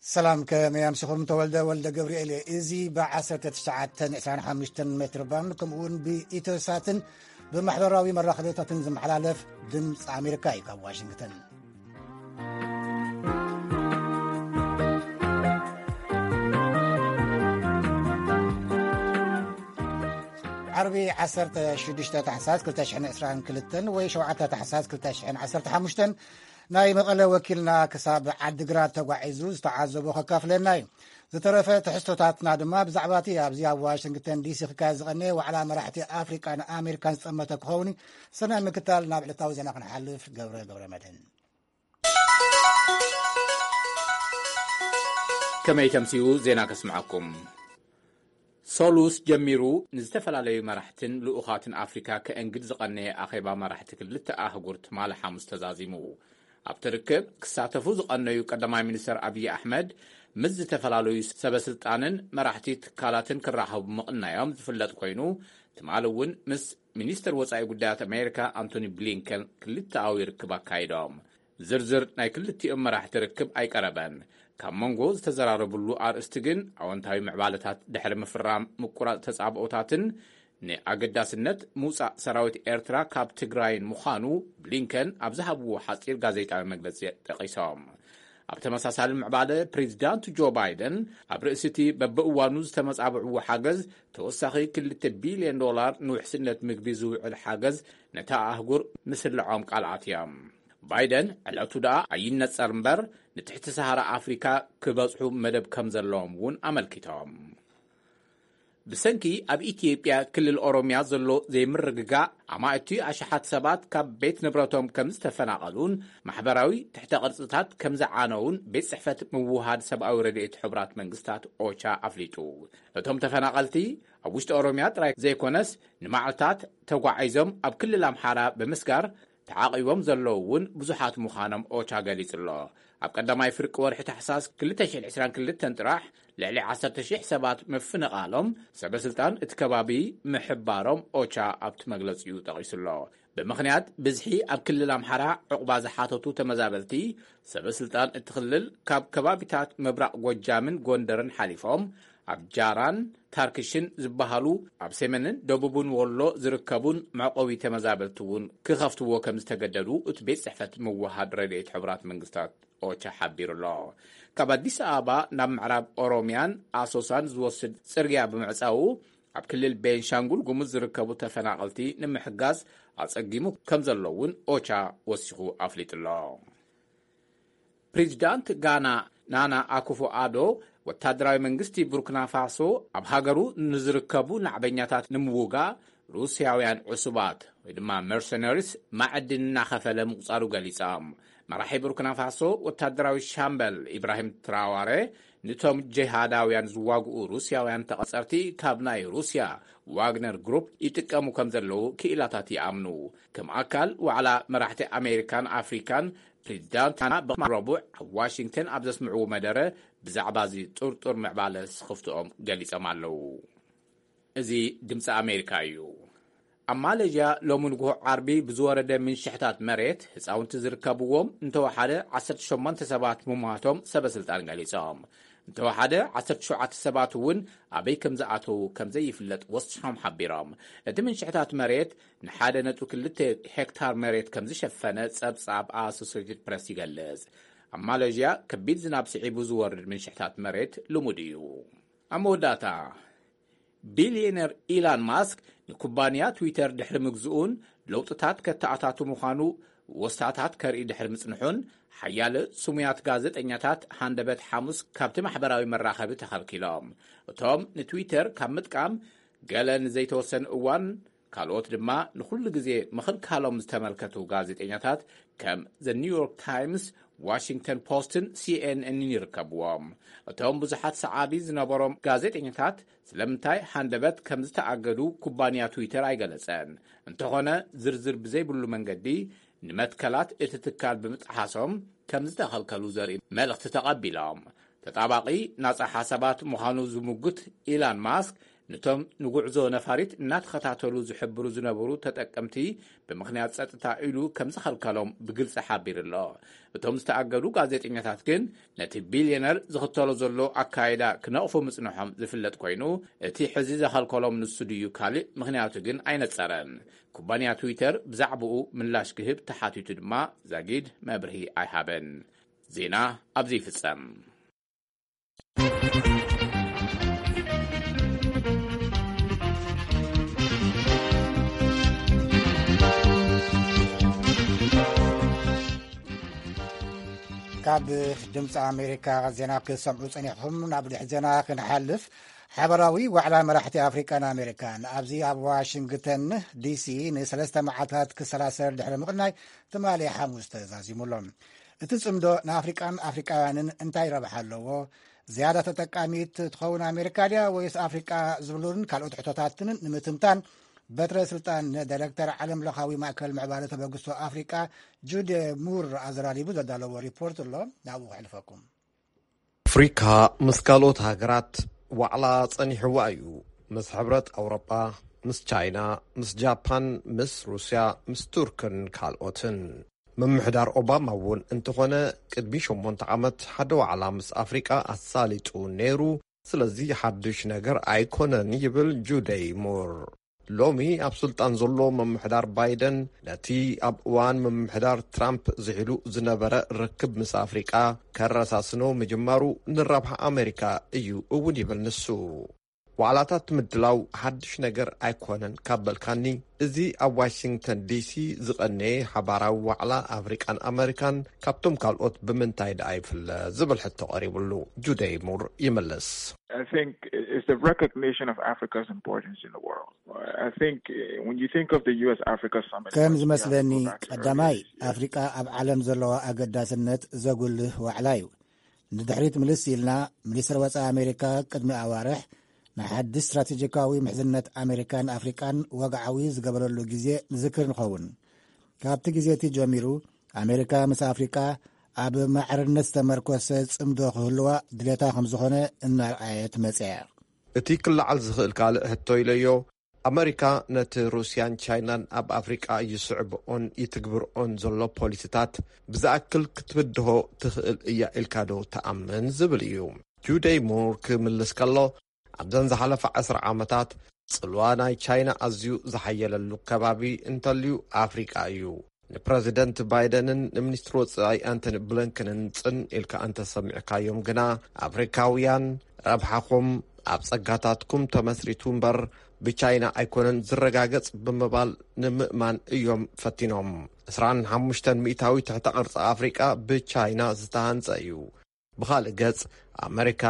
ሰላም፣ ከመይ ኣምሲኹም? ተወልደ ወልደ ገብርኤል እየ። እዚ ብ1925 ሜትር ባንድ፣ ከምኡ እውን ብኢትዮሳትን ብማሕበራዊ መራኸቢታትን ዝመሓላለፍ ድምፂ ኣሜሪካ እዩ፣ ካብ ዋሽንግተን። ዓርቢ 16 ታሕሳስ 2022 ወይ 7 ታሕሳስ 2015፣ ናይ መቐለ ወኪልና ክሳብ ዓዲግራት ተጓዒዙ ዝተዓዘቦ ከካፍለና እዩ። ዝተረፈ ትሕዝቶታትና ድማ ብዛዕባ እቲ ኣብዚ ኣብ ዋሽንግተን ዲሲ ክካየድ ዝቐነየ ዋዕላ መራሕቲ ኣፍሪቃን ኣሜሪካን ዝጠመተ ክኸውን እዩ። ሰናይ ምክታል። ናብ ዕለታዊ ዜና ክንሓልፍ፣ ገብረ ገብረ መድህን። ከመይ ተምስዩ ዜና ከስምዓኩም። ሶሉስ ጀሚሩ ንዝተፈላለዩ መራሕትን ልኡኻትን ኣፍሪካ ከእንግድ ዝቐነየ ኣኼባ መራሕቲ ክልተ ኣህጉር ትማሊ ሓሙስ ተዛዚሙ። ኣብቲ ርክብ ክሳተፉ ዝቐነዩ ቀዳማይ ሚኒስተር ኣብይ ኣሕመድ ምስ ዝተፈላለዩ ሰበስልጣንን መራሕቲ ትካላትን ክራኸቡ ምቕናዮም ዝፍለጥ ኮይኑ፣ ትማሊ እውን ምስ ሚኒስተር ወጻኢ ጉዳያት ኣሜሪካ ኣንቶኒ ብሊንከን ክልተኣዊ ርክብ ኣካይዶም። ዝርዝር ናይ ክልቲኦም መራሕቲ ርክብ ኣይቀረበን። ካብ መንጎ ዝተዘራረብሉ ኣርእስቲ ግን ኣወንታዊ ምዕባለታት ድሕሪ ምፍራም ምቁራጽ ተጻብኦታትን ንኣገዳስነት ምውጻእ ሰራዊት ኤርትራ ካብ ትግራይን ምዃኑ ብሊንከን ኣብ ዝሃብዎ ሓጺር ጋዜጣዊ መግለጺ ጠቒሶም። ኣብ ተመሳሳሊ ምዕባለ፣ ፕሬዚዳንት ጆ ባይደን ኣብ ርእሲ እቲ በብእዋኑ ዝተመጻብዕዎ ሓገዝ ተወሳኺ 2 ቢልዮን ዶላር ንውሕስነት ምግቢ ዝውዕል ሓገዝ ነታ ኣህጉር ምስልዖም ቃል ኣትዮም። ባይደን ዕለቱ ደኣ ኣይነጸር እምበር፣ ንትሕቲ ሰሃራ ኣፍሪካ ክበጽሑ መደብ ከም ዘለዎም እውን ኣመልኪቶም። ብሰንኪ ኣብ ኢትዮጵያ ክልል ኦሮሚያ ዘሎ ዘይምርግጋእ፣ ኣማእቲ ኣሽሓት ሰባት ካብ ቤት ንብረቶም ከም ዝተፈናቐሉን ማሕበራዊ ትሕተ ቅርጽታት ከም ዝዓነውን ቤት ጽሕፈት ምውሃድ ሰብኣዊ ረድኤት ሕቡራት መንግስታት ኦቻ ኣፍሊጡ። እቶም ተፈናቐልቲ ኣብ ውሽጢ ኦሮሚያ ጥራይ ዘይኮነስ፣ ንመዓልታት ተጓዒዞም ኣብ ክልል ኣምሓራ ብምስጋር ተዓቒቦም ዘለዉ እውን ብዙሓት ምዃኖም ኦቻ ገሊጹ ኣሎ። ኣብ ቀዳማይ ፍርቂ ወርሒ ታሕሳስ 2022 ጥራሕ ልዕሊ 10,000 ሰባት ምፍንቓሎም ሰበስልጣን እቲ ከባቢ ምሕባሮም ኦቻ ኣብቲ መግለጺኡ ጠቒሱ ኣሎ። ብምኽንያት ብዝሒ ኣብ ክልል ኣምሓራ ዕቑባ ዝሓተቱ ተመዛበልቲ፣ ሰበስልጣን እቲ ክልል ካብ ከባቢታት ምብራቕ ጎጃምን ጎንደርን ሓሊፎም ኣብ ጃራን ታርክሽን ዝበሃሉ ኣብ ሰሜንን ደቡብን ወሎ ዝርከቡን መዕቆቢ ተመዛበልቲ እውን ክኸፍትዎ ከም ዝተገደዱ እቲ ቤት ጽሕፈት ምውሃድ ረድኤት ሕቡራት መንግስታት ኦቻ ሓቢሩ ኣሎ። ካብ ኣዲስ ኣበባ ናብ ምዕራብ ኦሮሚያን ኣሶሳን ዝወስድ ጽርግያ ብምዕጻዉ፣ ኣብ ክልል ቤንሻንጉል ጉሙዝ ዝርከቡ ተፈናቐልቲ ንምሕጋዝ ኣጸጊሙ ከም ዘሎ እውን ኦቻ ወሲኹ ኣፍሊጡ ኣሎ። ፕሬዚዳንት ጋና ናና ኣኩፎ ኣዶ፣ ወታደራዊ መንግስቲ ቡርኪና ፋሶ ኣብ ሃገሩ ንዝርከቡ ናዕበኛታት ንምውጋእ ሩስያውያን ዕሱባት ወይ ድማ መርሰነሪስ ማዕድን እናኸፈለ ምቁጻሩ ገሊጾም። መራሒ ቡርኪና ፋሶ ወታደራዊ ሻምበል ኢብራሂም ትራዋረ፣ ንቶም ጀሃዳውያን ዝዋግኡ ሩስያውያን ተቐጸርቲ ካብ ናይ ሩስያ ዋግነር ግሩፕ ይጥቀሙ ከም ዘለዉ ክኢላታት ይኣምኑ። ከም ኣካል ዋዕላ መራሕቲ ኣሜሪካን ኣፍሪካን፣ ፕሬዚዳንት ጋና ብማል ረቡዕ ኣብ ዋሽንግተን ኣብ ዘስምዕዎ መደረ ብዛዕባ እዚ ጥርጡር ምዕባለ ስኽፍትኦም ገሊጾም ኣለዉ። እዚ ድምፂ ኣሜሪካ እዩ። ኣብ ማሌዥያ ሎሚ ንግሆ ዓርቢ ብዝወረደ ምንሽሕታት መሬት ህፃውንቲ ዝርከብዎም እንተወሓደ 18 ሰባት ምሟቶም ሰበስልጣን ገሊጾም። እንተወሓደ 17 ሰባት እውን ኣበይ ከም ዝኣተዉ ከም ዘይፍለጥ ወሲኾም ሓቢሮም። እቲ ምንሽሕታት መሬት ን1.2 ሄክታር መሬት ከም ዝሸፈነ ጸብጻብ ኣሶሴትድ ፕረስ ይገልጽ። ኣብ ማሌዥያ ከቢድ ዝናብ ስዒቡ ዝወርድ ምንሽሕታት መሬት ልሙድ እዩ። ኣብ መወዳእታ፣ ቢልዮነር ኢላን ማስክ ንኩባንያ ትዊተር ድሕሪ ምግዝኡን ለውጥታት ከተኣታቱ ምዃኑ ወስታታት ከርኢ ድሕሪ ምጽንሑን፣ ሓያለ ስሙያት ጋዜጠኛታት ሃንደበት ሓሙስ ካብቲ ማሕበራዊ መራኸቢ ተኸልኪሎም። እቶም ንትዊተር ካብ ምጥቃም ገለ ንዘይተወሰነ እዋን፣ ካልኦት ድማ ንኹሉ ግዜ ምኽልካሎም ዝተመልከቱ ጋዜጠኛታት ከም ዘ ኒውዮርክ ታይምስ፣ ዋሽንግተን ፖስትን ሲኤንኤንን ይርከብዎም። እቶም ብዙሓት ሰዓቢ ዝነበሮም ጋዜጠኛታት ስለምንታይ ሃንደበት ከም ዝተኣገዱ ኩባንያ ትዊተር ኣይገለጸን። እንተኾነ፣ ዝርዝር ብዘይብሉ መንገዲ ንመትከላት እቲ ትካል ብምጥሓሶም ከም ዝተኸልከሉ ዘርኢ መልእኽቲ ተቐቢሎም። ተጣባቒ ናጻ ሓሳባት ምዃኑ ዝምጉት ኢላን ማስክ፣ ነቶም ንጉዕዞ ነፋሪት እናተኸታተሉ ዝሕብሩ ዝነበሩ ተጠቀምቲ ብምኽንያት ጸጥታ ኢሉ ከም ዝኸልከሎም ብግልጺ ሓቢሩ ኣሎ። እቶም ዝተኣገዱ ጋዜጠኛታት ግን ነቲ ቢልዮነር ዝኽተሎ ዘሎ ኣካይዳ ክነቕፉ ምጽንሖም ዝፍለጥ ኮይኑ፣ እቲ ሕዚ ዘኸልከሎም ንሱ ድዩ ካልእ ምኽንያቱ ግን ኣይነጸረን። ኩባንያ ትዊተር ብዛዕባኡ ምላሽ ክህብ ተሓቲቱ ድማ ዛጊድ መብርሂ ኣይሃበን። ዜና ኣብዚ ይፍጸም። ካብ ድምፂ ኣሜሪካ ዜና ክትሰምዑ ፀኒሕኹም። ናብ ድሕሪ ዜና ክንሓልፍ፣ ሓበራዊ ዋዕላ መራሕቲ ኣፍሪቃን ኣሜሪካን ኣብዚ ኣብ ዋሽንግተን ዲሲ ንሰለስተ መዓልታት ክሰላሰል ድሕሪ ምቕናይ ትማሊ ሓሙስ ተዛዚሙ ኣሎ። እቲ ጽምዶ ንኣፍሪቃን ኣፍሪቃውያንን እንታይ ረብሓ ኣለዎ? ዝያዳ ተጠቃሚት ትኸውን ኣሜሪካ ድያ ወይስ ኣፍሪቃ ዝብሉን ካልኦት ሕቶታትን ንምትንታን፣ በትረ ስልጣን ንዳይሬክተር ዓለም ለኻዊ ማእከል ምዕባለ ተበግሶ ኣፍሪቃ ጁዴ ሙር ኣዘራሪቡ ዘዳለዎ ሪፖርት ኣሎ። ናብኡ ከሕልፈኩም። ኣፍሪካ ምስ ካልኦት ሃገራት ዋዕላ ጸኒሕዋ እዩ። ምስ ሕብረት ኣውሮጳ፣ ምስ ቻይና፣ ምስ ጃፓን፣ ምስ ሩስያ፣ ምስ ቱርክን ካልኦትን። ምምሕዳር ኦባማ እውን እንተኾነ፣ ቅድሚ ሸሞንተ ዓመት ሓደ ዋዕላ ምስ ኣፍሪቃ ኣሳሊጡ ነይሩ። ስለዚ ሓድሽ ነገር ኣይኮነን ይብል ጁደይ ሙር። ሎሚ ኣብ ስልጣን ዘሎ ምምሕዳር ባይደን ነቲ ኣብ እዋን ምምሕዳር ትራምፕ ዝሒሉ ዝነበረ ርክብ ምስ ኣፍሪቃ ከረሳስኖ ምጅማሩ ንረብሓ ኣሜሪካ እዩ እውን ይብል ንሱ። ዋዕላታት ምድላው ሓድሽ ነገር ኣይኮነን ካብ በልካኒ፣ እዚ ኣብ ዋሽንግተን ዲሲ ዝቐነየ ሓባራዊ ዋዕላ ኣፍሪቃን ኣመሪካን ካብቶም ካልኦት ብምንታይ ደኣ ይፍለ ዝብል ሕቶ ቀሪብሉ፣ ጁደይ ሙር ይምልስ። I think it's the recognition of Africa's importance in the world. I think uh, when you think of the U S Africa Summit, ከም ዝመስለኒ ቀዳማይ ኣፍሪቃ ኣብ ዓለም ዘለዋ ኣገዳስነት ዘጉልህ ዋዕላ እዩ። ንድሕሪት ምልስ ኢልና፣ ሚኒስትር ወጻኢ ኣሜሪካ ቅድሚ ኣዋርሕ ንሓድሽ ስትራቴጂካዊ ምሕዝነት ኣሜሪካን ኣፍሪቃን ወግዓዊ ዝገበረሉ ግዜ ንዝክር ንኸውን። ካብቲ ግዜ እቲ ጀሚሩ ኣሜሪካ ምስ ኣፍሪቃ ኣብ ማዕርነት ዝተመርኮሰ ጽምዶ ክህልዋ ድሌታ ከም ዝኾነ እናርኣየት መጽያ። እቲ ክለዓል ዝኽእል ካልእ ሕቶ ኢለዮ፣ ኣመሪካ ነቲ ሩስያን ቻይናን ኣብ ኣፍሪቃ ይስዕብኦን ይትግብርኦን ዘሎ ፖሊሲታት ብዝኣክል ክትብድሆ ትኽእል እያ ኢልካ ዶ ትኣምን ዝብል እዩ። ጁደይ ሙር ክምልስ ከሎ፣ ኣብዘን ዝሓለፋ ዕስራ ዓመታት ጽልዋ ናይ ቻይና ኣዝዩ ዝሓየለሉ ከባቢ እንተልዩ ኣፍሪቃ እዩ። ንፕረዚደንት ባይደንን ንሚኒስትሪ ወጻኢ ኣንቶኒ ብሊንከንን ጽን ኢልካ እንተሰሚዕካዮም ግና፣ ኣፍሪካውያን ረብሓኹም ኣብ ጸጋታትኩም ተመስሪቱ እምበር ብቻይና ኣይኮነን ዝረጋገጽ ብምባል ንምእማን እዮም ፈቲኖም። ዕስራን ሓሙሽተን ሚእታዊ ትሕተ ቅርጺ ኣፍሪቃ ብቻይና ዝተሃንጸ እዩ። ብኻልእ ገጽ፣ ኣመሪካ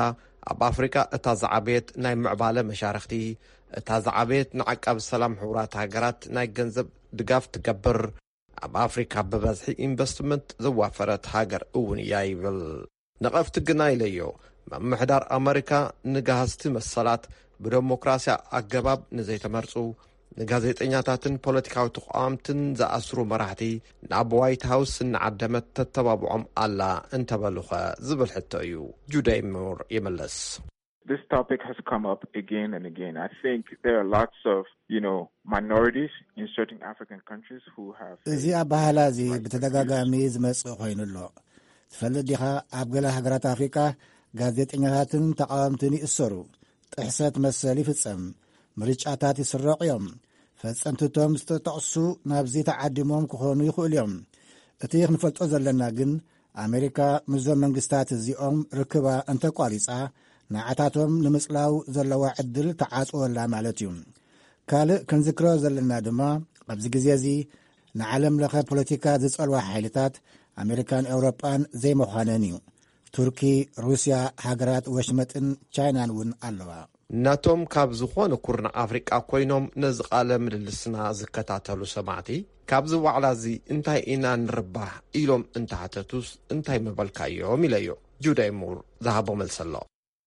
ኣብ ኣፍሪቃ እታ ዝዓበየት ናይ ምዕባለ መሻርኽቲ፣ እታ ዝዓበየት ንዓቃቢ ሰላም ሕቡራት ሃገራት ናይ ገንዘብ ድጋፍ ትገብር፣ ኣብ ኣፍሪካ ብበዝሒ ኢንቨስትመንት ዘዋፈረት ሃገር እውን እያ ይብል። ነቐፍቲ ግና ኢለዮ፣ ምምሕዳር ኣመሪካ ንጋህስቲ መሰላት ብደሞክራሲያ ኣገባብ ንዘይተመርጹ፣ ንጋዜጠኛታትን ፖለቲካዊ ተቋምትን ዝኣስሩ መራሕቲ ናብ ዋይት ሃውስ እናዓደመት ተተባብዖም ኣላ እንተበሉኸ ዝብል ሕቶ እዩ። ጁደይ ሙር ይምልስ። This topic has come up again and again. I think there are lots of, you know, minorities in certain African countries who have እዚ ኣባህላ እዚ ብተደጋጋሚ ዝመጽእ ኮይኑ ኣሎ። ትፈልጥ ዲኻ፣ ኣብ ገለ ሃገራት ኣፍሪቃ ጋዜጠኛታትን ተቃወምትን ይእሰሩ፣ ጥሕሰት መሰል ይፍጸም፣ ምርጫታት ይስረቑ እዮም። ፈጸምትቶም ዝተጠቕሱ ናብዚ ተዓዲሞም ክኾኑ ይኽእሉ እዮም። እቲ ክንፈልጦ ዘለና ግን፣ ኣሜሪካ ምስዞም መንግስታት እዚኦም ርክባ እንተቋሪጻ፣ ንዓታቶም ንምጽላው ዘለዋ ዕድል ተዓጽወላ ማለት እዩ። ካልእ ክንዝክሮ ዘለና ድማ፣ ኣብዚ ግዜ እዚ ንዓለም ለኸ ፖለቲካ ዝጸልዋ ሓይልታት ኣሜሪካን ኤውሮጳን ዘይምዃነን እዩ። ቱርኪ፣ ሩስያ፣ ሃገራት ወሽመጥን ቻይናን እውን ኣለዋ። ናቶም ካብ ዝኾነ ኩርናዕ ኣፍሪቃ ኮይኖም ነዚ ቃለ ምልልስና ዝከታተሉ ሰማዕቲ፣ ካብዚ ዋዕላ እዚ እንታይ ኢና ንርባሕ ኢሎም እንተሓተቱስ እንታይ ምበልካዮም ኢለዮ። ጁደይ ሙር ዝሃቦ መልሲ ኣሎ።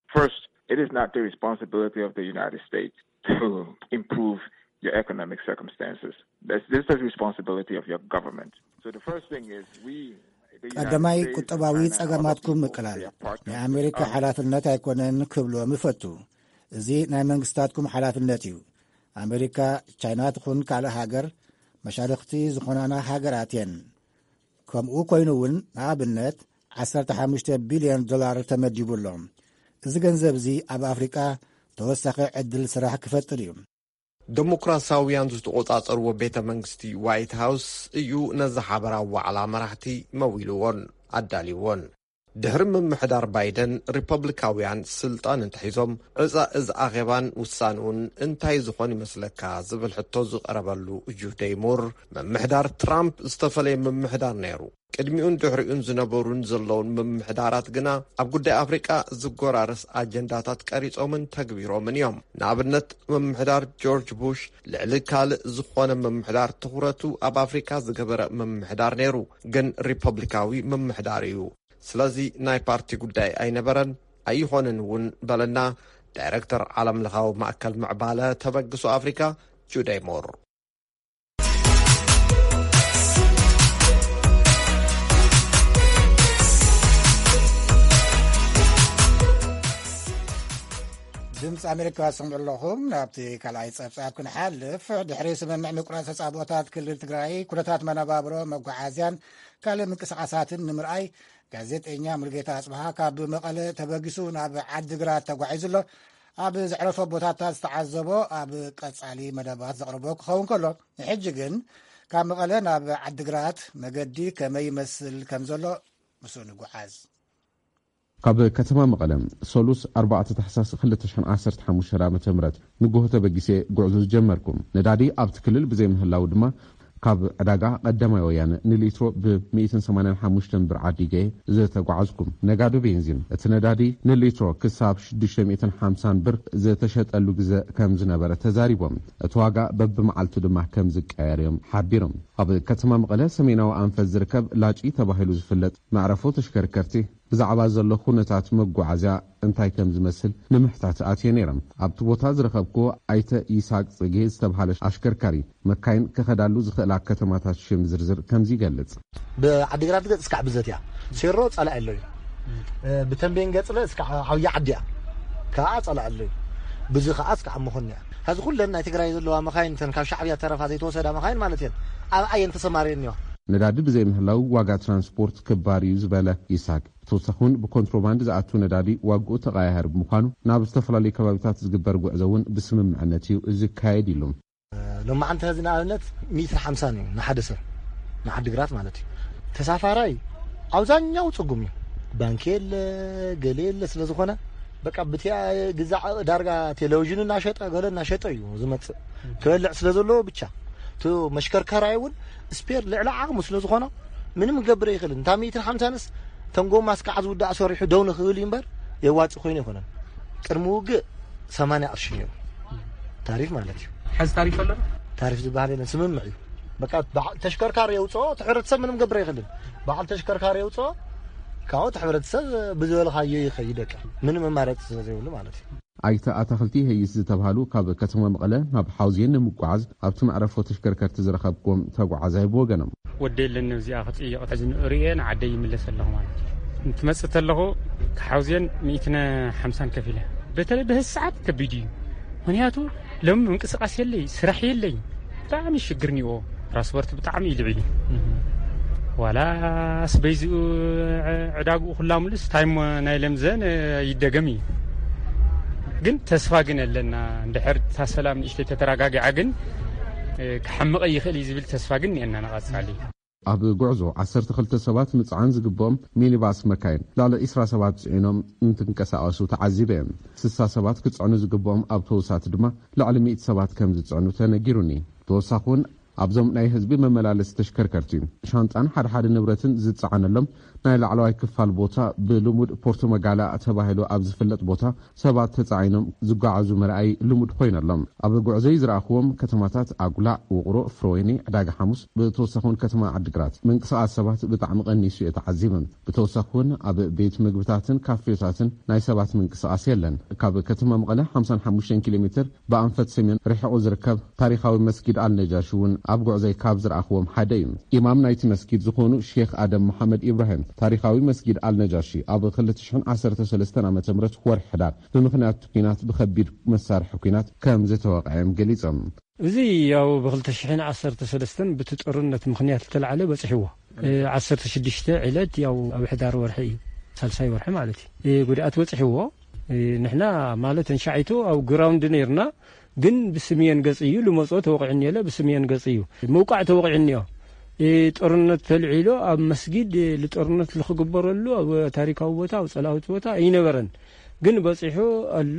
First, it is not the responsibility of the United States to improve your economic circumstances. That's, this is the responsibility of your government. So the first thing is we, the United ቀዳማይ፣ States and ቁጠባዊ China are ጸገማትኩም looking for ምቅላል their partners ናይ ኣሜሪካ with us. ሓላፍነት ኣይኮነን ክብሎም ይፈቱ። እዚ ናይ መንግስታትኩም ሓላፍነት እዩ። ኣሜሪካ፣ ቻይና ትኹን ካልእ ሃገር መሻርኽቲ ዝኾናና ሃገራት እየን። ከምኡ ኮይኑ እውን ንኣብነት ዓሰርተ ሓሙሽተ ቢልዮን ዶላር ተመዲቡ ኣሎ። እዚ ገንዘብ እዚ ኣብ ኣፍሪቃ ተወሳኺ ዕድል ስራሕ ክፈጥር እዩ። ዴሞክራሲያውያን ዝተቖጻጸርዎ ቤተ መንግስቲ ዋይት ሃውስ እዩ ነዚ ሓበራዊ ዋዕላ መራሕቲ መዊልዎን ኣዳልይዎን። ድሕሪ ምምሕዳር ባይደን፣ ሪፐብሊካውያን ስልጣን እንተሒዞም፣ ዕጻ እዚ ኣኼባን ውሳንኡን እንታይ ዝኾን ይመስለካ ዝብል ሕቶ ዝቐረበሉ ጁደይ ሙር፣ ምምሕዳር ትራምፕ ዝተፈለየ ምምሕዳር ነይሩ። ቅድሚኡን ድሕሪኡን ዝነበሩን ዘለውን ምምሕዳራት ግና ኣብ ጉዳይ ኣፍሪቃ ዝጎራረስ ኣጀንዳታት ቀሪጾምን ተግቢሮምን እዮም። ንኣብነት፣ ምምሕዳር ጆርጅ ቡሽ ልዕሊ ካልእ ዝኾነ ምምሕዳር ትኹረቱ ኣብ ኣፍሪካ ዝገበረ ምምሕዳር ነይሩ፣ ግን ሪፐብሊካዊ ምምሕዳር እዩ። ስለዚ ናይ ፓርቲ ጉዳይ ኣይነበረን፣ ኣይኾነን እውን በለና ዳይረክተር ዓለም ለኻዊ ማእከል ምዕባለ ተበግሶ ኣፍሪካ ጁደይ ሞር። ድምፂ ኣሜሪካ ትሰምዑ ኣለኹም። ናብቲ ካልኣይ ፀብፃብ ክንሓልፍ፣ ድሕሪ ስምምዕ ምቁራፅ ተፃቦታት ክልል ትግራይ፣ ኩነታት መነባብሮ፣ መጓዓዝያን ካልእ ምንቅስቃሳትን ንምርኣይ፣ ጋዜጠኛ ሙሉጌታ ኣፅብሃ ካብ መቐለ ተበጊሱ ናብ ዓዲግራት ተጓዒዙ ኣሎ። ኣብ ዘዕረፎ ቦታታት ዝተዓዘቦ ኣብ ቀፃሊ መደባት ዘቕርቦ ክኸውን ከሎ፣ ንሕጂ ግን ካብ መቐለ ናብ ዓዲግራት መገዲ ከመይ ይመስል ከም ዘሎ ምስኡ ንጓዓዝ። ካብ ከተማ መቐለ ሰሉስ ኣርባዕተ ታሕሳስ ክልተ ሽሕን ዓሰርተ ሓሙሽተን ዓመተ ምህረት ንጎሆ ተበጊሰ ጉዕዞ ዝጀመርኩ። ነዳዲ ኣብቲ ክልል ብዘይምህላው ድማ ካብ ዕዳጋ ቀዳማይ ወያነ ንሊትሮ ብ ሚእትን ሰማንያን ሓሙሽተን ብር ዓዲገ ዝተጓዓዝኩ። ነጋዶ ቤንዚን እቲ ነዳዲ ንሊትሮ ክሳብ ሽዱሽተ ሚእትን ሓምሳን ብር ዝተሸጠሉ ግዘ ከም ዝነበረ ተዛሪቦም። እቲ ዋጋ በብመዓልቱ ድማ ከም ዝቀየር እዮም ሓቢሮም። ኣብ ከተማ መቐለ ሰሜናዊ ኣንፈት ዝርከብ ላጪ ተባሂሉ ዝፍለጥ መዕረፎ ተሽከርከርቲ ብዛዕባ ዘሎ ኩነታት መጓዓዝያ እንታይ ከም ዝመስል ንምሕታት ኣትየ ነይረ። ኣብቲ ቦታ ዝረኸብኩዎ ኣይተ ይስሃቅ ጽጌ ዝተብሃለ ኣሽከርካሪ፣ መካይን ክኸዳሉ ዝኽእላ ከተማታት ሽም ዝርዝር ከምዚ ይገልጽ። ብዓዲግራት ገጽ እስካዕ ብዘት እያ። ሴሮ ጸላኢ ኣሎ እዩ። ብተንቤን ገጽለ እስካዕ ዓብዪ ዓዲ እያ። ከኣ ጸላኢ ኣሎ እዩ። ብዚ ከኣ እስካዕ መኾን እያ። ሐዚ ኩለን ናይ ትግራይ ዘለዋ መኻይን፣ እተን ካብ ሻዕብያ ተረፋ ዘይተወሰዳ መኻይን ማለት እየን፣ ኣብ ኣየን ተሰማርየን እኒዋ። ነዳዲ ብዘይምህላው ዋጋ ትራንስፖርት ክባር እዩ ዝበለ ይስሃቅ፣ ብተወሳኺ እውን ብኮንትሮባንድ ዝኣቱ ነዳዲ ዋግኡ ተቐያያሪ ብምዃኑ ናብ ዝተፈላለዩ ከባቢታት ዝግበር ጉዕዞ እውን ብስምምዕነት እዩ ዝካየድ ኢሉ። ሎማዓንቲ ሐዚ ንኣብነት ሚእትን ሓምሳን እዩ ንሓደ ሰብ፣ ንዓዲግራት ማለት እዩ። ተሳፋራይ ኣብዛኛው ጽጉም እዩ። ባንኪ የለ፣ ገለ የለ፣ ስለ ዝኾነ በቃ ብቲያ ግዛዕ ዳርጋ ቴሌቪዥኑ እናሸጠ ገለ እናሸጠ እዩ ዝመጽእ። ክበልዕ ስለ ዘለዎ ብቻ እቲ መሽከርከራይ እውን ስፔር ልዕሊ ዓቕሙ ስለ ዝኾኖ ምንም ክገብር ኣይኽእልን። እንታ ሚእትን ሓምሳንስ ተንጎ ማስካዓ ዝውዳእ ሰሪሑ ደው ንኽብል እዩ እምበር የዋጽእ ኮይኑ ኣይኮነን። ቅድሚ ውግእ ሰማንያ ቅርሺ ነይሩ ታሪፍ ማለት እዩ። ሕዚ ታሪፍ ኣሎ? ታሪፍ ዝበሃል የለን፣ ስምምዕ እዩ። በቃ በዓ- ተሽከርካሪ የውፅኦ፣ እቲ ሕብረተሰብ ምንም ገብር ኣይኽእልን። በዓል ተሽከርካሪ የውፅኦ፣ ካብኡ እቲ ሕብረተሰብ ብዝበልኻዮ ይኸይድ። በቃ ምንም መማረፂ ስለ ዘይብሉ ማለት እዩ። ኣይተ ኣታኽልቲ ይሀይስ ዝተብሃሉ ካብ ከተማ መቐለ ናብ ሓውዜን ንምጓዓዝ ኣብቲ መዕረፎ ተሽከርከርቲ ዝረኸብኩዎም ተጓዓዛይ ብወገኖም፣ ወደይ ኣለኒ እዚኣ ክፅይቕ ሕዚ ንርእየ ንዓደይ ይምለስ ኣለኹ ማለት እዩ። እንትመፅእ ተለኹ ካብ ሓውዜን ሚእትን ሓምሳን ከፊለ። በተለይ በዚ ሰዓት ከቢድ እዩ። ምክንያቱ ሎም ምንቅስቃስ የለይ፣ ስራሕ የለይ። ብጣዕሚ ሽግር ኒኦ። ትራንስፖርት ብጣዕሚ እዩ ልዕል እዩ። ዋላስ በይዚኡ ዕዳግኡ ኩላ ሙሉስ ታይም ናይ ለምዘን ይደገም እዩ። ግን ተስፋ ግን ኣለና። እንድሕር እታ ሰላም ንእሽተይ ተተረጋጊዓ ግን ክሓምቕ ይኽእል እዩ ዝብል ተስፋ ግን እኒአና ንቐጻሊ። ኣብ ጉዕዞ ዓሰርተ ክልተ ሰባት ምጽዓን ዝግብኦም ሚኒባስ መካይን ልዕሊ ዕስራ ሰባት ጽዒኖም እንትንቀሳቐሱ ተዓዚበ እየ። ስሳ ሰባት ክጽዕኑ ዝግብኦም ኣውቶቡሳት ድማ ልዕሊ ሚእቲ ሰባት ከም ዝጽዕኑ ተነጊሩኒ። ብተወሳኺ እውን ኣብዞም ናይ ህዝቢ መመላለሲ ተሽከርከርቲ ሻንጣን ሓደ ሓደ ንብረትን ዝጸዓነሎም ናይ ላዕለዋይ ክፋል ቦታ ብልሙድ ፖርቶ መጋላ ተባሂሉ ኣብ ዝፍለጥ ቦታ ሰባት ተጻዒኖም ዝጓዓዙ ምርኣይ ልሙድ ኮይኑ ኣሎ። ኣብ ጉዕዞይ ዝረኣኽዎም ከተማታት ኣጉላዕ፣ ውቕሮ፣ ፍረወይኒ፣ ዕዳጋ ሓሙስ፣ ብተወሳኺ እውን ከተማ ዓዲግራት ምንቅስቓስ ሰባት ብጣዕሚ ቀኒሱ እየ ተዓዚበ። ብተወሳኺ እውን ኣብ ቤት ምግብታትን ካፌታትን ናይ ሰባት ምንቅስቓስ የለን። ካብ ከተማ መቐለ ሓምሳን ሓሙሽተን ኪሎ ሜትር ብኣንፈት ሰሜን ርሒቑ ዝርከብ ታሪኻዊ መስጊድ ኣልነጃሺ እውን ኣብ ጉዕዞይ ካብ ዝረኣኽዎም ሓደ እዩ። ኢማም ናይቲ መስጊድ ዝኾኑ ሼኽ ኣደም መሓመድ ኢብራሂም ታሪኻዊ መስጊድ ኣልነጃሺ ኣብ ክልተ ሽሕን ዓሰርተ ሰለስተን ዓመተ ምህረት ወርሒ ሕዳር ብምኽንያት ኲናት ብኸቢድ መሳርሒ ኲናት ከም ዝተወቕዐ እዮም ገሊጾም። እዚ ያው ብ ክልተ ሽሕን ዓሰርተ ሰለስተን ብቲ ጦርነት ምኽንያት ዝተላዕለ በጺሕዎ። እ፣ ዓሰርተ ሽዱሽተ ዕለት ያው ኣብ ሕዳር ወርሒ እዩ፣ ሳልሳይ ወርሒ ማለት እዩ። እ፣ ጉድኣት በጺሕዎ። እ፣ ንሕና ማለት እንሻዒቱ ኣብ ግራውንድ ነይርና፣ ግን ብስምየን ገጽ እዩ ልመጾ ተወቂዕኒ የለ፣ ብስምየን ገጽ እዩ ምውቃዕ ተወቂዕኒ እዮ። እ፣ ጦርነት ተልዒሎ ኣብ መስጊድ፣ እ፣ ልጦርነት ልክግበረሉ ኣብ ታሪካዊ ቦታ፣ ኣብ ጸላዊት ቦታ ኣይነበረን። ግን በጺሑ ኣሎ።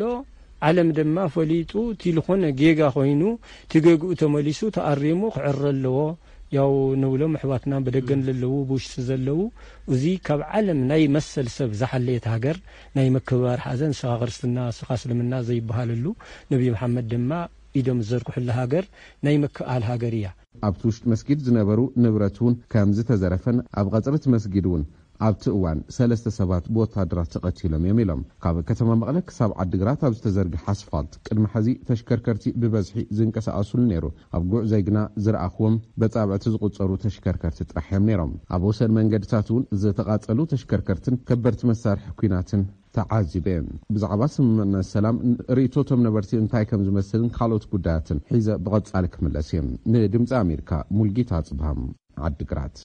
ዓለም ድማ ፈሊጡ፣ እቲ ልኾነ ጌጋ ኮይኑ፣ እቲ ጌግኡ ተመሊሱ ተኣሪሙ ክዕረ ኣለዎ። ያው ንብሎም ኣሕዋትና በደገን ለለዉ፣ ብውሽጢ ዘለዉ፣ እዚ ካብ ዓለም ናይ መሰል ሰብ ዝሓለየት ሃገር፣ ናይ ምክብባር ሓዘን፣ ንስኻ ክርስትና፣ ንስኻ እስልምና ዘይበሃለሉ፣ ነቢ መሓመድ ድማ ኢዶም ዝዘርግሑላ ሃገር፣ ናይ ምክኣል ሃገር እያ። ኣብቲ ውሽጢ መስጊድ ዝነበሩ ንብረት እውን ከም ዝተዘረፈን ኣብ ቐጽሪ እቲ መስጊድ እውን ኣብቲ እዋን ሰለስተ ሰባት ብወታደራት ተቐቲሎም እዮም ኢሎም። ካብ ከተማ መቐለ ክሳብ ዓዲግራት ኣብ ዝተዘርግሐ ኣስፋልት ቅድሚ ሕዚ ተሽከርከርቲ ብበዝሒ ዝንቀሳቐሱሉ ነይሩ። ኣብ ጉዕዞይ ግና ዝረኣኽዎም በጻብዕቲ ዝቑጸሩ ተሽከርከርቲ ጥራሕ እዮም ነይሮም። ኣብ ወሰን መንገድታት እውን ዝተቓጸሉ ተሽከርከርትን ከበድቲ መሳርሒ ኲናትን ተዓዚበ። ብዛዕባ ስምምዕነት ሰላም ርእይቶቶም ነበርቲ እንታይ ከም ዝመስልን ካልኦት ጉዳያትን ሒዘ ብቐጻሊ ክምለስ እየ። ንድምፂ ኣሜሪካ ሙልጌታ ኣጽብሃም ዓዲግራት።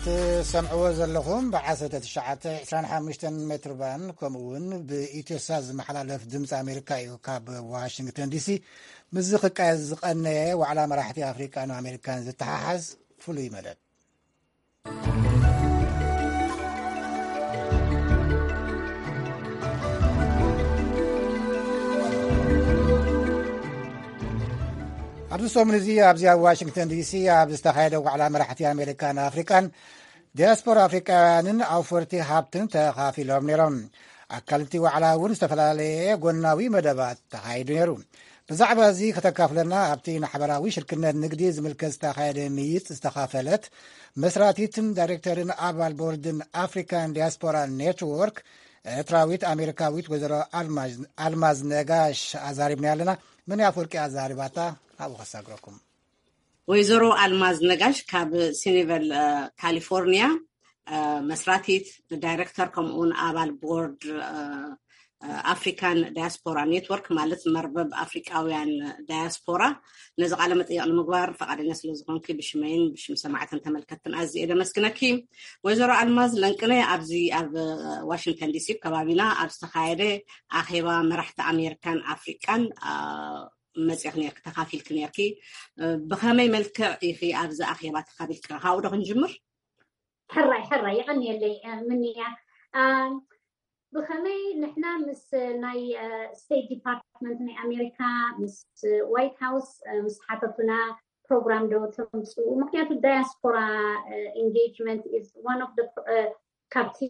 ትሰምዕዎ ዘለኹም ብ ዓሰርተ ትሽዓተ ዕስራን ሓሙሽተን ሜትር ባንድ ከምኡ እውን ብኢትዮሳት ዝመሓላለፍ ድምፂ ኣሜሪካ እዩ። ካብ ዋሽንግተን ዲሲ ምስዚ ክቃየስ ዝቐነየ ዋዕላ መራሕቲ ኣፍሪቃን ኣሜሪካን ዝተሓሓዝ ፍሉይ መደብ። ኣብዚ ሰሙን እዚ ኣብዚ ኣብ ዋሽንግተን ዲሲ ኣብ ዝተኻየደ ዋዕላ መራሕቲ ኣሜሪካን ኣፍሪቃን ዲያስፖራ ኣፍሪቃውያንን ኣውፈርቲ ሃብትን ተኻፊሎም ነይሮም። ኣካልቲ ዋዕላ እውን ዝተፈላለየ ጎናዊ መደባት ተኻይዱ ነይሩ። ብዛዕባ እዚ ከተካፍለና ኣብቲ ንሓበራዊ ሽርክነት ንግዲ ዝምልከት ዝተኻየደ ምይይጥ ዝተኻፈለት መስራቲትን ዳይሬክተርን ኣባል ቦርድን ኣፍሪካን ዲያስፖራ ኔትወርክ ኤርትራዊት ኣሜሪካዊት ወይዘሮ ኣልማዝ፣ ኣልማዝ ነጋሽ ኣዛሪብና ኣለና። ምን ያፍወርቂ ኣዛሪባታ ኣብኡ ከሳግረኩም። ወይዘሮ ኣልማዝ ነጋሽ ካብ ሲኒቨል፣ እ፣ ካሊፎርኒያ፣ እ፣ መስራቲት ዳይሬክተር ከምኡውን ኣባል ቦርድ፣ እ፣ እ፣ ኣፍሪካን ዳያስፖራ ኔትወርክ ማለት መርበብ ኣፍሪቃውያን ዳያስፖራ። ነዚ ቃለ መጠየቕ ንምግባር ፈቓደኛ ስለ ዝኾንኪ ብሽመይን ብሽም ሰማዕትን ተመልከትን ኣዝየ ደመስግነኪ። ወይዘሮ ኣልማዝ ለንቅነ ኣብዚ ኣብ ዋሽንግተን ዲሲ ከባቢና ኣብ ዝተኻየደ ኣኼባ መራሕቲ ኣሜሪካን ኣፍሪቃን፣ እ፣ መጺእኺ ነርኪ፣ ተኻፊልኪ ነርኪ። እ፣ ብኸመይ መልክዕ ኢኺ ኣብዚ ኣኼባ ተኻፊልኪ? ካብኡ ዶ ክንጅምር? ሕራይ፣ ሕራይ፣ የቐንየለይ፣ እ፣ ምንያ። እ፣ ብኸመይ ንሕና ምስ፣ እ፣ ናይ፣ እ፣ ስቴት ዲፓርትመንት ናይ ኣሜሪካ፣ ምስ ዋይት ሃውስ፣ እ፣ ምስ ሓተቱና ፕሮግራም ዶ ተምፅኡ? ምክንያቱ ዳያስፖራ፣ እ፣ ኢንጌጅመንት ኢዝ ዋን ኦፍ ደ፣ እ፣ ካብቲ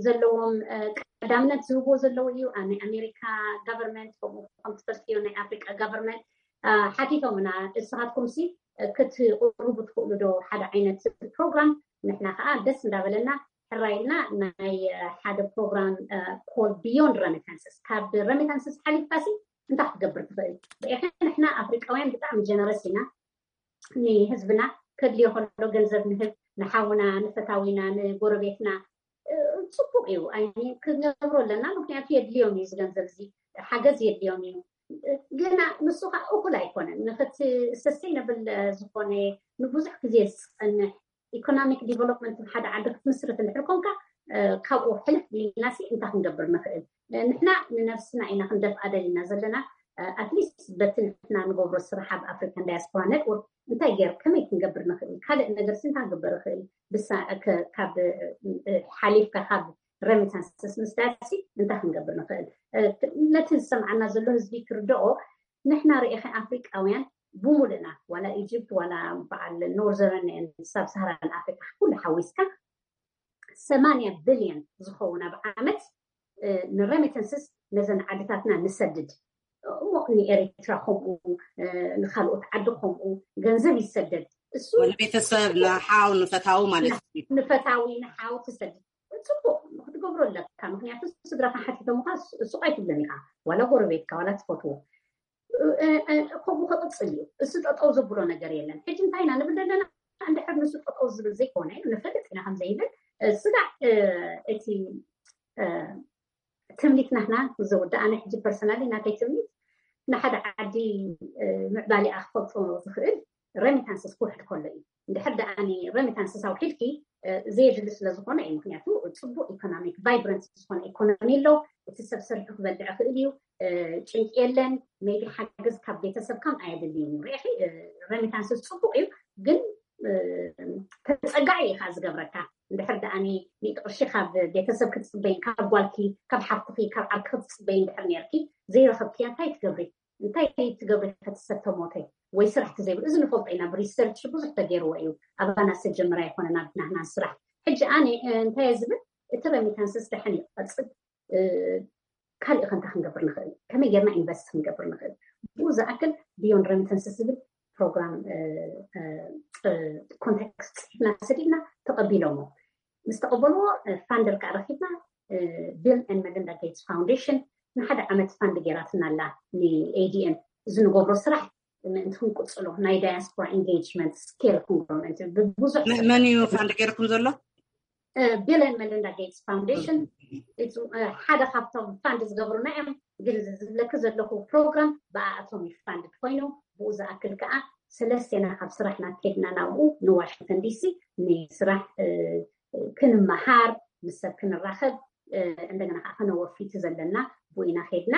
ዘለዎም፣ እ፣ ቀዳምነት ዝህብዎ ዘለዉ እዩ። ኣ-፣ ናይ ኣሜሪካ ጋቨርንመንት ከምኡ ከም ትፈልጥዮ ናይ ኣፍሪቃ ጋቨርንመንት፣ እ፣ ሓቲቶምና፣ እስኻትኩም ሲ ክትቅርቡ ትኽእሉ ዶ ሓደ ዓይነት ፕሮግራም? ንሕና ከዓ ደስ እንዳበለና ሕራይ ኢልና ናይ፣ እ፣ ሓደ ፕሮግራም፣ እ፣ ኮል ቢዮንድ ረሚታንስስ፣ ካብ ረሚታንስስ ሓሊፍካ ሲ እንታይ ክትገብር ትኽእል? ርኢኺ ንሕና ኣፍሪቃውያን ብጣዕሚ ጀነረስ ኢና። ንህዝብና ከድልዮ ከሎ ገንዘብ ንህብ፣ ንሓውና፣ ንፈታዊና፣ ንጎረቤትና፣ እ፣ ጽቡቕ እዩ። ኣይ፣ ክንገብሮ ኣለና፣ ምክንያቱ የድልዮም እዩ እዚ ገንዘብ እዚ፣ ሓገዝ የድልዮም እዩ። ግና ንሱ ከዓ እኹል ኣይኮነን። ንኽት ሰስተይነብል ዝኾነ ንብዙሕ ግዜ ዝጸንሕ ኢኮኖሚክ ዲቨሎፕመንት ሓደ ዓዲ ክትምስርት እንድሕር ኮንካ፣ እ፣ ካብኡ ሕልፍ ኢልናሲ እንታይ ክንገብር ንኽእል? ንሕና ንነብስና ኢና ክንደፍኣ ደሊና ዘለና። ኣትሊስት በቲ ንሕና ንገብሮ ስራሕ ኣብ ኣፍሪካን ዳያስፖራ ኔትወርክ እንታይ ገይር፣ ከመይ ክንገብር ንኽእል? ካልእ ነገርሲ እንታይ ክግበር ይኽእል? ብሳ-፣ ከ-፣ ካብ፣ እ፣ ሓሊፍካ ካብ ረሚታንስስ ምስዳድሲ እንታይ ክንገብር ንኽእል? እ፣ ነቲ ዝሰምዓና ዘሎ ህዝቢ ክርድኦ፣ ንሕና ርኢኸ ኣፍሪቃውያን ብሙሉእና፣ ዋላ ኢጅፕት፣ ዋላ በዓል ኖርዘርን ሳብ ሳሃራን ኣፍሪካ፣ ኩሉ ሓዊስካ ሰማንያ ቢልዮን ዝኸውን ኣብ ዓመት፣ እ፣ ንረሚተንስስ ነዘን ዓድታትና ንሰድድ። እሞ ንኤሪትራ ከምኡ፣ እ፣ ንኻልኦት ዓዲ ከምኡ ገንዘብ ይሰደድ። እሱ ንቤተሰብ፣ ንሓው፣ ንፈታዊ ማለት እዩ። ንፈታዊ፣ ንሓው ትሰድድ። ጽቡቕ። ክትገብሮ ኣለካ። ምክንያቱ ስድራካ ሓቲቶምካ ሱቕ ኣይትብለን ኢካ፣ ዋላ ጎረቤትካ ዋላ ትፈትዎ። ከምኡ ክቕፅል እዩ። እሱ ጠጠው ዘብሎ ነገር የለን። ሕጂ እንታይ ኢና ንብል ዘለና? እንድሕር ንሱ ጠጠው ዝብል ዘይኮነ ንፈልጥ ኢና ከም ዘይብል። ስጋዕ እቲ ትምኒት ናህና ዝውዳእ፣ ኣነ ሕጂ ፐርሰናሊ ናተይ ትምኒት ንሓደ ዓዲ ምዕባሊኣ ክፈልጦ ዝኽእል ረሚታንስስ ክውሕድ ከሎ እዩ። እንድሕር ደኣ ረሚታንስስ ኣውሒድኪ ዘየድሊ ስለ ዝኾነ እዩ። ምክንያቱ ፅቡቅ ኢኮኖሚክ ቫይብረንት ዝኾነ ኢኮኖሚ ኣሎ። እቲ ሰብ ሰሪሑ ክበልዕ ይኽእል እዩ። ጭንቂ የለን። ሜቢ ሓገዝ ካብ ቤተሰብካም ኣየድልይን እዩ። ርኢኺ፣ ረሚታንስስ ፅቡቅ እዩ፣ ግን ተፀጋዒ ኢኻ ዝገብረካ። እንድሕር ደኣ ሚእቲ ቅርሺ ካብ ቤተሰብ ክትፅበይን ካብ ጓልኪ ካብ ሓፍትኺ ካብ ዓርኪ ክትፅበይ እንድሕር ነርኪ ዘይረኸብክያ እንታይ ትገብሪ? እንታይ ትገብሪ ከተሰብ ተሞተ ወይ ስራሕ ተዘይብሉ? እዚ ንፈልጦ ኢና፣ ብሪሰርች ብዙሕ ተገይርዎ እዩ። ኣባና ዝተጀመረ ኣይኮነን ኣብ ናህና ስራሕ። ሕጂ ኣነ እንታይ እየ ዝብል፣ እቲ ረሚታንስስ ደሓን ይቐፅል፣ ካልእ ከንታ ክንገብር ንኽእል፣ ከመይ ጌርና ኢንቨስት ክንገብር ንኽእል፣ ብኡ ዝኣክል ቢዮንድ ረሚታንስስ ዝብል ፕሮግራም ኮንታክት ፅሒፍና ሰዲድና፣ ተቐቢሎሞ። ምስ ተቐበልዎ ፋንደር ከዓ ረኪብና፣ ቢል ን መሊንዳ ጌትስ ፋውንዴሽን ንሓደ ዓመት ፋንድ ገይራትና ኣላ ንኤዲኤም። እዚ ንገብሮ ስራሕ ምእንቲ ክንቅፅሎ ናይ ዳያስፖራ ኢንጌጅመንት ስኬል ክንገብሮ ምእንቲ ብብዙሕ መን እዩ ፋንድ ገይርኩም ዘሎ? ቢል ን መሊንዳ ጌትስ ፋውንዴሽን ሓደ ካብቶም ፋንድ ዝገብሩና እዮም። ግን ዝብለኪ ዘለኹ ፕሮግራም ብኣኣቶም እዩ ፋንድ ኮይኑ፣ ብኡ ዝኣክል ከዓ ሰለስቴና ካብ ስራሕና ከድና ናብኡ ንዋሽንግተን ዲሲ ንስራሕ ክንመሃር፣ ምስ ሰብ ክንራኸብ፣ እንደገና ከዓ ከነወፊ እቲ ዘለና ብኡ ኢና ከድና።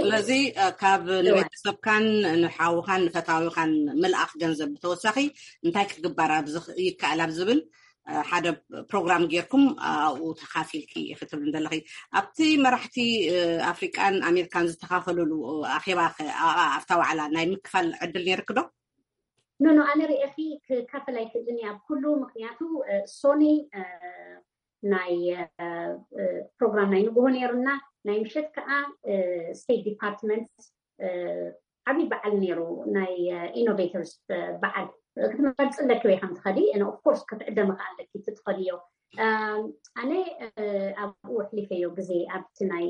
ስለዚ ካብ ንቤተሰብካን ንሓውኻን ንፈታዊኻን ምልኣኽ ገንዘብ ብተወሳኺ እንታይ ክግበር ይከኣል ኣብ ዝብል ሓደ ፕሮግራም ጌርኩም ኣብኡ ተኻፊልኪ ክትብል ዘለኺ፣ ኣብቲ መራሕቲ ኣፍሪቃን ኣሜሪካን ዝተኻፈሉሉ ኣኼባ ኣብታ ዋዕላ ናይ ምክፋል ዕድል ነይርክ ዶ? ኖኖ፣ ኣነ ርኤኺ ክካፈል ኣይክእልን እየ ኣብ ኩሉ፣ ምክንያቱ ሶኒ ናይ ፕሮግራም ናይ ንግሆ ነይሩና፣ ናይ ምሸት ከዓ ስቴት ዲፓርትመንት ዓብዪ በዓል ነይሩ፣ ናይ ኢኖቬተርስ በዓል ክትመርፂ ኣለኪ ወይ ከም ትኸዲ፣ ኦፍኮርስ ክትዕደሚ ከዓ ኣለኪ ትትኸድዮ። ኣነ ኣብኡ ኣሕሊፈዮ ግዜ ኣብቲ ናይ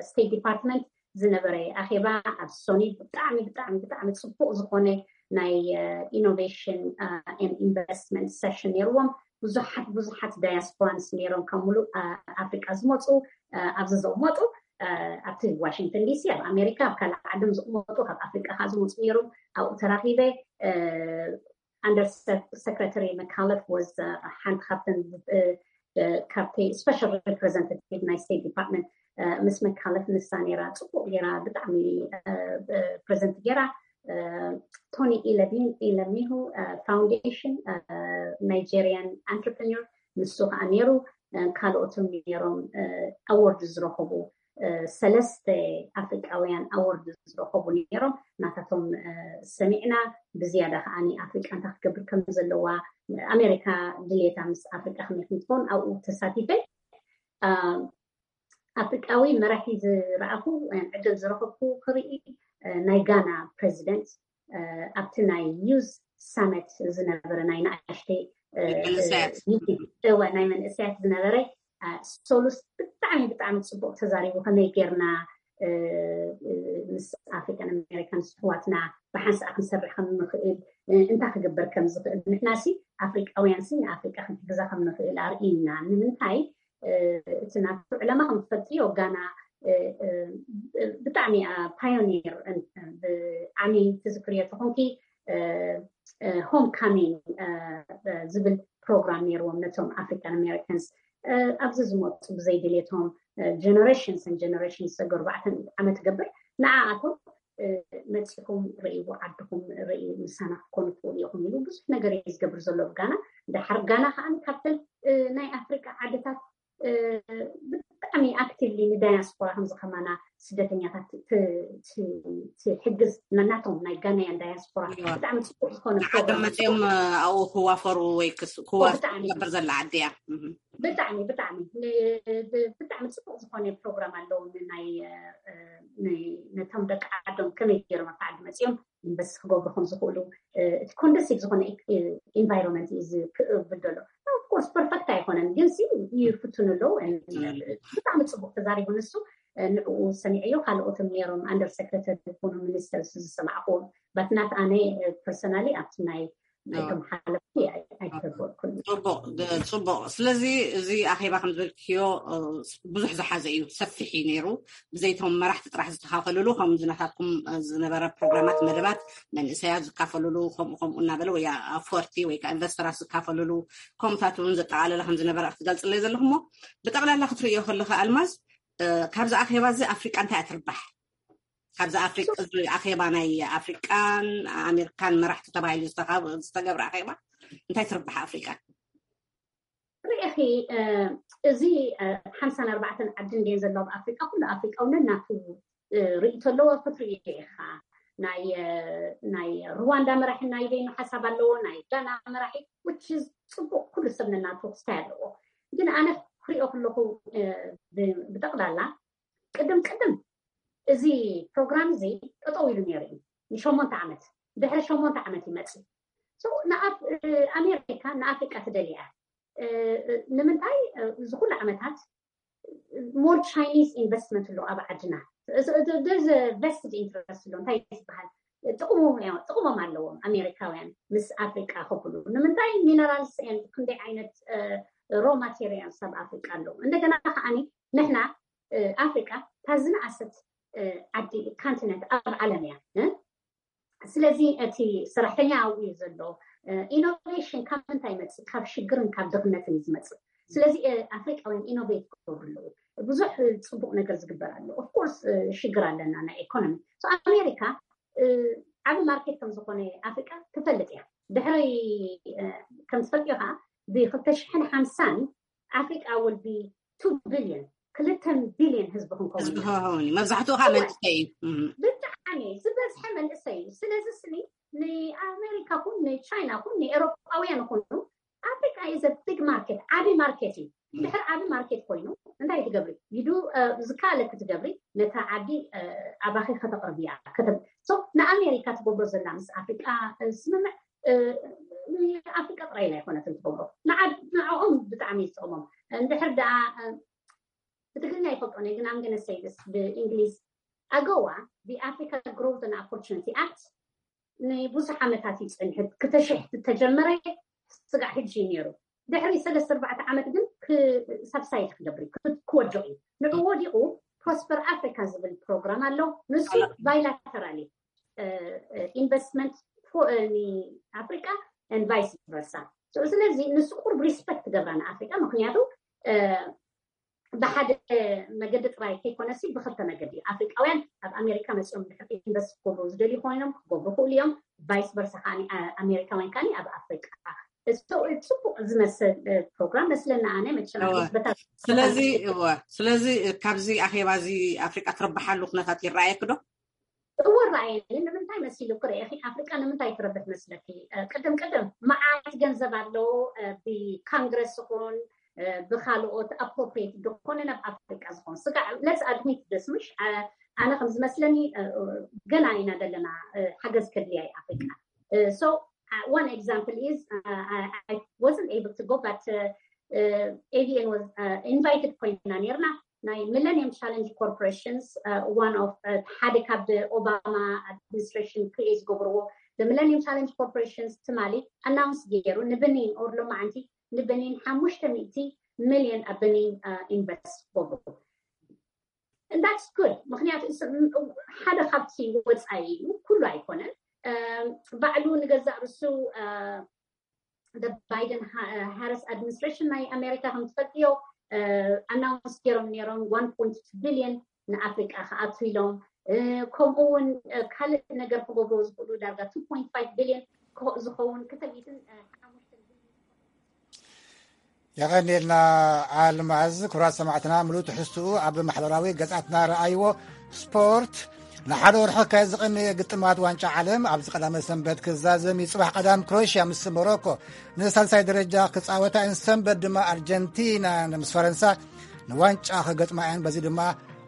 ስቴት ዲፓርትመንት ዝነበረ ኣኼባ ኣብ ሶኒ ብጣዕሚ ብጣዕሚ ብጣዕሚ ፅቡቅ ዝኾነ ናይ ኢኖቬሽን ኢንቨስትመንት ሰሽን ነይርዎም። ብዙሓት ብዙሓት ዳያስፖራንስ ነይሮም ካብ ሙሉእ ኣፍሪቃ ዝመፁ፣ ኣብዚ ዘመፁ ኣብቲ ዋሽንግተን ዲሲ ኣብ ኣሜሪካ ኣብ ካልእ ዓድም ዝቕመጡ ካብ ኣፍሪቃ ከዓ ዝመፁ ነይሮም። ኣብኡ ተራኺበ። ኣንደር ሰክረተሪ መካለፍ ወዝ ሓንቲ ካብተን ካብቲ ስፔሻል ሪፕሬዘንታቲቭ ናይ ስቴት ዲፓርትመንት ምስ መካለፍ ንሳ ነይራ። ፅቡቅ ገይራ ብጣዕሚ ፕሬዘንት ገይራ። ቶኒ ኢለሚሁ ፋውንዴሽን ናይጀሪያን ኣንትርፕረኒር ንሱ ከዓ ነይሩ። ካልኦትም ነይሮም ኣዎርድ ዝረኸቡ ሰለስተ ኣፍሪቃውያን ኣዎርድ ዝረኸቡ ነይሮም። ናታቶም ሰሚዕና፣ ብዝያዳ ከዓ ኣፍሪቃ እንታይ ክትገብር ከም ዘለዋ፣ ኣሜሪካ ድልየታ ምስ ኣፍሪቃ ከመይ ከም ትኸውን ኣብኡ ተሳቲፈ። ኣፍሪቃዊ መራሒ ዝረኣኹ ዕድል ዝረኸብኩ ክርኢ ናይ ጋና ፕሬዚደንት ኣብቲ ናይ ዩዝ ሳመት ዝነበረ ናይ ንኣሽተይ ናይ መንእሰያት ዝነበረ ሶሉስ ብጣዕሚ ብጣዕሚ ፅቡቅ ተዛሪቡ። ከመይ ጌርና ምስ ኣፍሪካን ኣሜሪካን ስሕዋትና ብሓንሳእ ክንሰርሕ ከም ንኽእል፣ እንታይ ክግበር ከም ዝኽእል፣ ንሕና ሲ ኣፍሪቃውያን ሲ ንኣፍሪቃ ክንሕግዛ ከም ንኽእል ኣርእይና። ንምንታይ እቲ ናቱ ዕላማ ከም ትፈልጥዮ ጋና ብጣዕሚ ፓዮኒር ብዓሚ ትዝክርዮ ተኾንኪ ሆም ካሚንግ ዝብል ፕሮግራም ነይርዎም ነቶም ኣፍሪካን ኣሜሪካንስ ኣብዚ ዝመፁ ብዘይ ድሌቶም ጀነሬሽንስ ን ጀነሬሽንስ ሰገ ኣርባዕተ ዓመት ገብር ንዓኣቶም መፂኹም ርእይዎ ዓድኹም ርእዩ ምሳና ክትኮኑ ትኽእሉ ኢኹም ኢሉ ብዙሕ ነገር እዩ ዝገብር ዘሎ ብጋና። ድሓር ጋና ከዓ ካብተን ናይ ኣፍሪቃ ዓድታት ብጣዕሚ ኣክቲቭሊ ንዳያስፖራ ከምዚ ከማና ስደተኛታት ትሕግዝ፣ ናቶም ናይ ጋናያን ዳያስፖራ ብጣዕሚ ፅቡቅ ዝኾነ ፕሮግራም። መፅኦም ኣብኡ ክዋፈሩ ወይ ክዋፈሩ ትገብር ዘላ ዓዲ እያ። ብጣዕሚ ብጣዕሚ ብጣዕሚ ፅቡቅ ዝኾነ ፕሮግራም ኣለዎም። ናይ ነቶም ደቂ ዓዶም ከመይ ገይሮም ኣብቲ ዓዲ መፅኦም ኢንቨስት ክገብሩ ከም ዝኽእሉ፣ እቲ ኮንደሲቭ ዝኾነ ኢንቫይሮንመንት እዩ ዝብል ዘሎ። ኦፍኮርስ ፐርፈክት ኣይኮነን፣ ግን ይፍትኑ ኣለዉ። ብጣዕሚ ፅቡቅ ተዛሪቡ ንሱ። ንዕኡ ሰሚዐዮ። ካልኦትም ነይሮም፣ ኣንደር ሴክረተሪ ይኹኑ ሚኒስተርስ ዝሰማዕኩዎም፣ በት ናት ኣነ ፐርሰናሊ ኣብቲ ናይ ናይቶም ሓለፍቲ ኣይተገበርኩን። ፅቡቅ። ስለዚ እዚ ኣኼባ ከም ዝበልክዮ ብዙሕ ዝሓዘ እዩ፣ ሰፊሕ እዩ ነይሩ። ብዘይቶም መራሕቲ ጥራሕ ዝተኻፈልሉ፣ ከም ዝናታትኩም ዝነበረ ፕሮግራማት፣ መደባት መንእሰያት ዝካፈልሉ፣ ከምኡ ከምኡ እናበለ ወይ ኣፍወርቲ ወይ ከዓ ኢንቨስተራት ዝካፈልሉ ከምኡታት እውን ዘጠቃለለ ከም ዝነበረ ክትገልፅለይ ዘለኹሞ፣ ብጠቅላላ ክትርእዮ ከለካ ኣልማዝ፣ ካብዚ ኣኼባ እዚ ኣፍሪቃ እንታይ ትርባሕ? ካብዚ ኣፍሪቃ፣ እዚ ኣኼባ ናይ ኣፍሪቃን ኣሜሪካን መራሕቲ ተባሂሉ ዝተገብረ ኣኼባ እንታይ ትርባሕ ኣፍሪቃ? ርኢኺ፣ እዚ ሓምሳን ኣርባዕተን ዓዲ እንድየን ዘለዋ ኣብ ኣፍሪቃ፣ ኩሉ ኣፍሪቃ እውን ናቱ ርእይቶ ኣለዎ። ክትርእዮ ኢኻ፣ ናይ ሩዋንዳ መራሒ ናይ በይኑ ሓሳብ ኣለዎ፣ ናይ ጋና መራሒ፣ which is ፅቡቅ፣ ኩሉ ሰብ ነናቱ ክስታይ ኣለዎ። ግን ኣነ ክሪኦ ከለኹ ብጠቅላላ ቅድም ቅድም እዚ ፕሮግራም እዚ ጠጠው ኢሉ ነይሩ እዩ ንሸሞንተ ዓመት። ድሕሪ ሸሞንተ ዓመት ይመፅእ። ንኣሜሪካ ንኣፍሪቃ ትደልያ። ንምንታይ እዚ ኩሉ ዓመታት ሞር ቻይኒዝ ኢንቨስትመንት ኣሎ ኣብ ዓድና? ቨስትድ ኢንትረስት ኣሎ። እንታይ ዝበሃል ጥቅሞም ኣለዎም ኣሜሪካውያን ምስ ኣፍሪቃ ክብሉ? ንምንታይ ሚነራልስ ክንደይ ዓይነት ሮ ማቴሪያልስ ኣብ ኣፍሪቃ ኣለዉ? እንደገና ከዓኒ ንሕና ኣፍሪቃ እታ ዝነኣሰት ዓዲ ካንቲነንት ኣብ ዓለም እያ። ስለዚ እቲ ሰራሕተኛ ኣብኡ እዩ ዘሎ። ኢኖቬሽን ካብ ምንታይ ይመፅእ? ካብ ሽግርን ካብ ድኽነትን እዩ ዝመፅእ። ስለዚ ኣፍሪቃውያን ኢኖቬት ክገብሩ ኣለዉ። ብዙሕ ፅቡቅ ነገር ዝግበር ኣሎ። ኦፍኮርስ ሽግር ኣለና ናይ ኢኮኖሚ። ኣሜሪካ ዓቢ ማርኬት ከም ዝኾነ ኣፍሪቃ ትፈልጥ እያ። ድሕሪ ከም ትፈልጥዮ ከዓ ብክልተ ሽሕን ሓምሳን ኣፍሪቃ will be two billion፣ ክልተ ቢልዮን ህዝቢ ክንከውን። መብዛሕትኡ ከዓ መንእሰይ እዩ። ብጣዕሚ ዝበዝሐ መንእሰይ እዩ። ስለዚ ስኒ ንኣሜሪካ ኩን ንቻይና ኩን ንኤሮጳውያን ኩኑ ኣፍሪቃ is a big market፣ ዓቢ ማርኬት እዩ። ድሕሪ ዓቢ ማርኬት ኮይኑ እንታይ ትገብሪ? ይዱ ዝካለ ክትገብሪ ነታ ዓዲ ኣባኺ ከተቕርብያ። ንኣሜሪካ ትገብሮ ዘላ ምስ ኣፍሪቃ ስምምዕ ኣፍሪቃ ጥራይ ኣይኮነትን ትገብሮ፣ ንዓኦም ብጣዕሚ ይጠቕሞም። እንድሕር ደኣ ብትግርኛ ይፈልጦ ነይ ግን ኣምገነ ሰይድስ ብእንግሊዝ ኣገዋ ብኣፍሪካ ግሮውት ን ኦፖርቹኒቲ ኣክት ንብዙሕ ዓመታት እዩ ፀኒሑ። ክልተ ሽሕ ተጀመረ ስጋዕ ሕጂ እዩ ነይሩ። ድሕሪ ሰለስተ ኣርባዕተ ዓመት ግን ሳብሳይድ ክገብር ክወድቕ እዩ። ንዑ ወዲቑ ፕሮስፐር ኣፍሪካ ዝብል ፕሮግራም ኣሎ። ንሱ ባይላተራሊ ኢንቨስትመንት ኣፍሪካ ን ቫይስ ቨርሳ። ስለዚ ንሱ ቁርብ ሪስፐክት ትገብራ ንኣፍሪካ፣ ምክንያቱ ብሓደ መገዲ ጥራይ ከይኮነሲ ብክልተ መገዲ ኣፍሪቃውያን ኣብ ኣሜሪካ መፅኦም ድሕር ኢንቨስት ክገብሩ ዝደልዩ ኮይኖም ክገብሩ ክእሉ እዮም። ቫይስ ቨርሳ ከዓ ኣሜሪካውያን ከዓ ኣብ ኣፍሪቃ። ፅቡቅ ዝመስል ፕሮግራም መስለና ኣነ መቸም። ስለዚ እወ ስለዚ ካብዚ ኣኼባ እዚ ኣፍሪቃ ትረብሓሉ ኩነታት ይረኣየክ ዶ? እወ ረኣየኒ። ንምንታይ መሲሉ ክርእኺ ኣፍሪቃ ንምንታይ ትረብሕ መስለኪ? ቅድም ቅድም መዓት ገንዘብ ኣለዎ ብካንግረስ ይኹን ብካልኦት ኣፕሮፕሬት ዝኾነ ናብ ኣፍሪቃ ዝኾን ስጋ ለስ ኣድሚት ደስ ምሽ ኣነ ከም ዝመስለኒ ገና ኢና ዘለና ሓገዝ ከድልያ ኣፍሪቃ። So one example is I wasn't able to go but AVN was invited ኮይና ነርና ናይ ሚለኒየም ቻለንጅ ኮርፖሬሽንስ one of ሓደ ካብ ኦባማ ኣድሚኒስትሬሽን ክሪኤት ዝገብርዎ ሚለኒየም ቻለንጅ ኮርፖሬሽንስ ትማሊ ኣናውንስ ገይሩ ንበኒን ኦር ሎማዓንቲ ንበኒን ሓሙሽተ ሚእቲ ሚልዮን ኣብ በኒን ኢንቨስት ክገብሩ። That's good ምክንያቱ ሓደ ካብቲ ወፃኢ እዩ ኩሉ ኣይኮነን። ባዕሉ ንገዛእ ርሱ ባይደን ሃረስ ኣድሚኒስትሬሽን ናይ ኣሜሪካ ከም ትፈልጥዮ ኣናውንስ ገይሮም ነይሮም one point two billion ንኣፍሪቃ ክኣቱ ኢሎም። ከምኡ እውን ካልእ ነገር ክገብሩ ዝኽእሉ ዳርጋ two point five billion ዝኸውን ክተሚትን ሓሙሽተ የቐንየልና ኣልማዝ። ክቡራት ሰማዕትና ምሉእ ትሕዝትኡ ኣብ ማሕበራዊ ገጻትና ረኣይዎ። ስፖርት። ንሓደ ወርሒ ክካየድ ዝቐነየ ግጥማት ዋንጫ ዓለም ኣብዚ ቀዳመ ሰንበት ክዛዘም እዩ። ጽባሕ ቀዳም ክሮኤሽያ ምስ ሞሮኮ ንሳልሳይ ደረጃ ክጻወታ እየን። ሰንበት ድማ ኣርጀንቲና ምስ ፈረንሳ ንዋንጫ ክገጥማ እየን። በዚ ድማ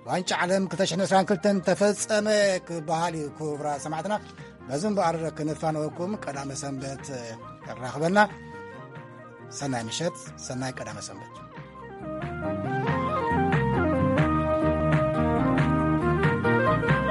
ዋንጫ ዓለም ክልተ ሽሕን ዕስራን ክልተን ተፈጸመ ክበሃል እዩ። ክቡራት ሰማዕትና፣ በዚ እምበኣር ክንፋነወኩም ቀዳመ ሰንበት የራኽበና። ሰናይ ምሸት፣ ሰናይ ቀዳመ ሰንበት።